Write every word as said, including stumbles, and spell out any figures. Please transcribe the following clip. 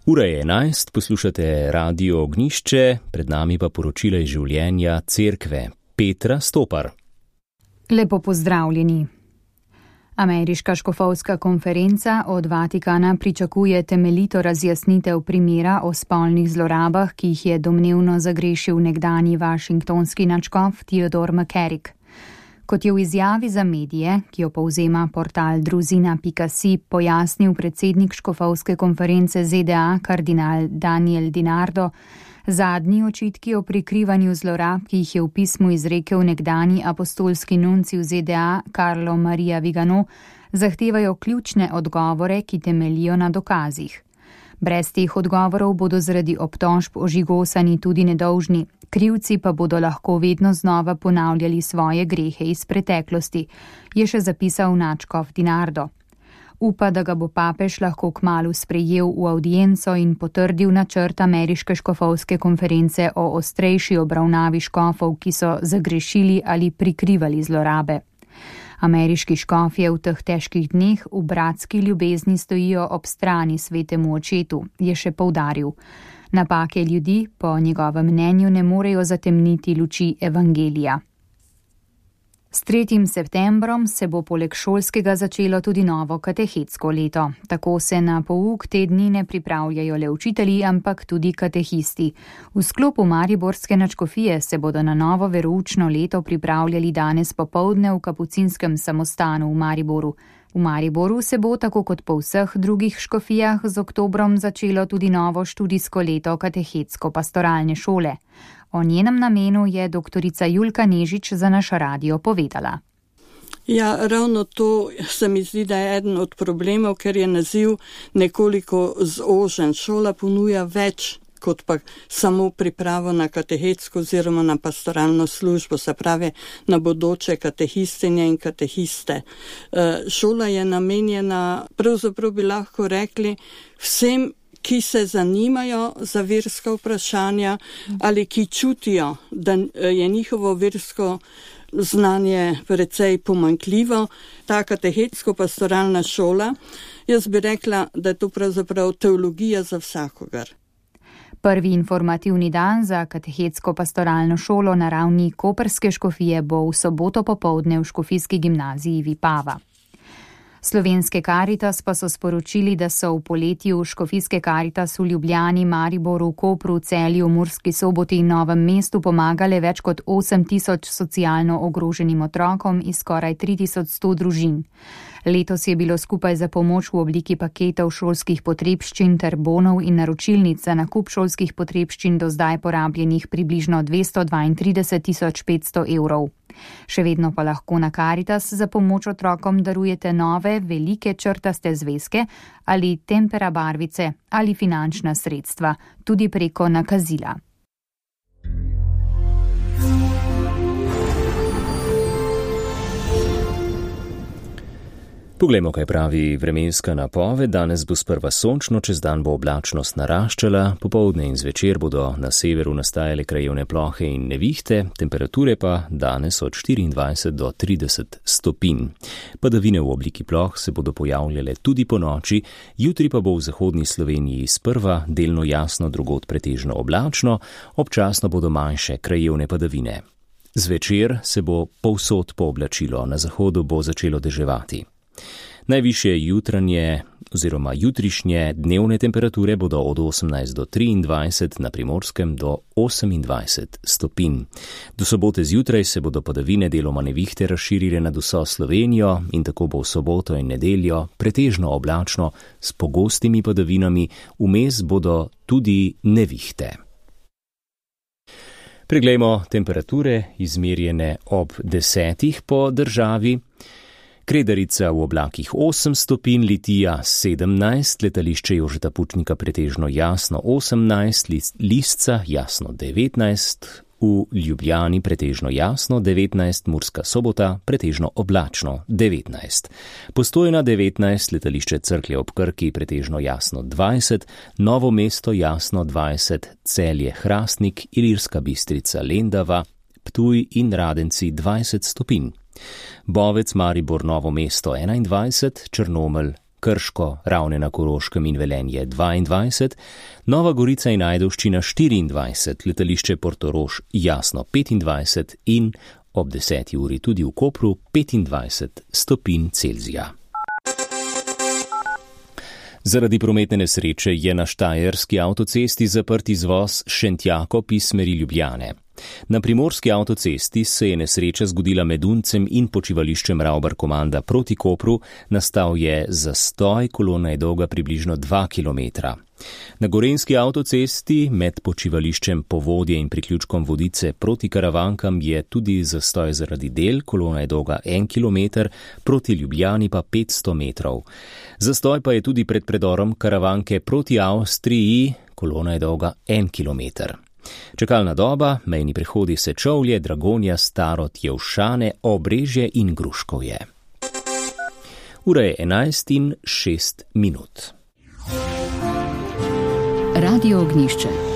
Ura je enajst, poslušate Radio Ognjišče, pred nami pa poročila iz življenja cerkve. Petra Stopar. Lepo pozdravljeni. Ameriška škofovska konferenca od Vatikana pričakuje temeljito razjasnitev primera o spolnih zlorabah, ki jih je domnevno zagrešil nekdanji washingtonski nadškof Theodore McCarrick. Kot je v izjavi za medije, ki jo povzema portal druzina pika si, pojasnil predsednik škofovske konference Z D A kardinal Daniel DiNardo, zadnji očitki o prikrivanju zlorab, ki jih je v pismu izrekel nekdanji apostolski nunci v Z D A Carlo Maria Vigano, zahtevajo ključne odgovore, ki temeljijo na dokazih. Brez teh odgovorov bodo zaradi obtožb ožigosani tudi nedolžni, krivci pa bodo lahko vedno znova ponavljali svoje grehe iz preteklosti, je še zapisal nadškof DiNardo. Upa, da ga bo papež lahko kmalu sprejel v avdienco in potrdil načrt ameriške škofovske konference o ostrejši obravnavi škofov, ki so zagrešili ali prikrivali zlorabe. Ameriški škofje v teh težkih dneh v bratski ljubezni stojijo ob strani svetemu očetu, je še poudaril. Napake ljudi, po njegovem mnenju, ne morejo zatemniti luči evangelija. S tretjim septembrom se bo poleg šolskega začelo tudi novo katehetsko leto. Tako se na pouk te dni ne pripravljajo le učitelji, ampak tudi katehisti. V sklopu mariborske nadškofije se bodo na novo veroučno leto pripravljali danes popoldne v kapucinskem samostanu v Mariboru. V Mariboru se bo, tako kot po vseh drugih škofijah, z oktobrom začelo tudi novo študijsko leto katehetsko-pastoralne šole. O njenem namenu je doktorica Julka Nežič za naš radio povedala. Ja, ravno to se mi zdi, da je eden od problemov, ker je naziv nekoliko zožen. Šola ponuja več kot pa samo pripravo na katehetsko oziroma na pastoralno službo, se pravi na bodoče katehistinje in katehiste. Šola je namenjena, pravzaprav bi lahko rekli, vsem, ki se zanimajo za verska vprašanja ali ki čutijo, da je njihovo versko znanje precej pomanjkljivo. Ta katehetsko-pastoralna šola, jaz bi rekla, da je to pravzaprav teologija za vsakogar. Prvi informativni dan za katehetsko-pastoralno šolo na ravni koprske škofije bo v soboto popoldne v škofijski gimnaziji Vipava. Slovenske Karitas pa so sporočili, da so v poletju škofijske Karitas v Ljubljani, Mariboru, Kopru, Celju, Murski Soboti in Novem mestu pomagale več kot osem tisoč socialno ogroženim otrokom iz skoraj tri tisoč sto družin. Letos je bilo skupaj za pomoč v obliki paketov šolskih potrebščin ter bonov in naročilnic za nakup šolskih potrebščin do zdaj porabljenih približno dvesto dvaintrideset tisoč petsto evrov. Še vedno pa lahko na Karitas za pomoč otrokom darujete nove, velike črtaste zvezke ali tempera barvice ali finančna sredstva, tudi preko nakazila. Poglejmo, kaj pravi vremenska napoved. Danes bo sprva sončno, čez dan bo oblačnost naraščala, popoldne in zvečer bodo na severu nastajale krajevne plohe in nevihte, temperature pa danes od štiriindvajset do trideset stopinj. Padavine v obliki ploh se bodo pojavljale tudi po noči, jutri pa bo v zahodni Sloveniji sprva delno jasno, drugod pretežno oblačno, občasno bodo manjše krajevne padavine. Zvečer se bo povsod pooblačilo, na zahodu bo začelo deževati. Najvišje jutranje oziroma jutrišnje dnevne temperature bodo od osemnajst do triindvajset, na Primorskem do osemindvajset stopinj. Do sobote zjutraj se bodo padavine deloma nevihte razširile nad vso Slovenijo in tako bo v soboto in nedeljo pretežno oblačno s pogostimi padavinami, vmes bodo tudi nevihte. Preglejmo temperature izmerjene ob desetih po državi. Kredarica v oblakih osem stopinj, Litija sedemnajst, letališče Jožeta Pučnika pretežno jasno osemnajst, Lisca jasno devetnajst, v Ljubljani pretežno jasno devetnajst, Murska Sobota pretežno oblačno devetnajst. Postojna devetnajst, letališče Cerklje ob Krki pretežno jasno dvajset, Novo mesto jasno dvajset, Celje Hrastnik, Ilirska Bistrica Lendava, Ptuj in Radenci dvajset stopinj. Bovec, Maribor, Novo mesto enaindvajset, Črnomelj Krško, Ravne na Koroškem in Velenje dvaindvajset, Nova Gorica in Ajdovščina štiriindvajset, letališče Portorož Jasno petindvajset in ob deseti uri tudi v Kopru petindvajset stopinj Celzija. Zaradi prometne nesreče je na štajerski avtocesti zaprt izvoz Šentjakov iz smeri Ljubljane. Na primorski avtocesti se je nesreča zgodila med Uncem in počivališčem Ravbar Komanda proti Kopru, nastal je zastoj, kolona je dolga približno dva kilometra. Na gorenjski avtocesti med počivališčem Povodje in priključkom Vodice proti Karavankam je tudi zastoj zaradi del, kolona je dolga en kilometer, proti Ljubljani pa petsto metrov. Zastoj pa je tudi pred predorom Karavanke proti Avstriji, kolona je dolga en kilometer. Čakalna doba, mejni prehodi Sečovlje, Dragonja, Starod, Jevšane, Obrežje in Gruškovje. Ura je enajst in šest minut. Radio Ognjišče.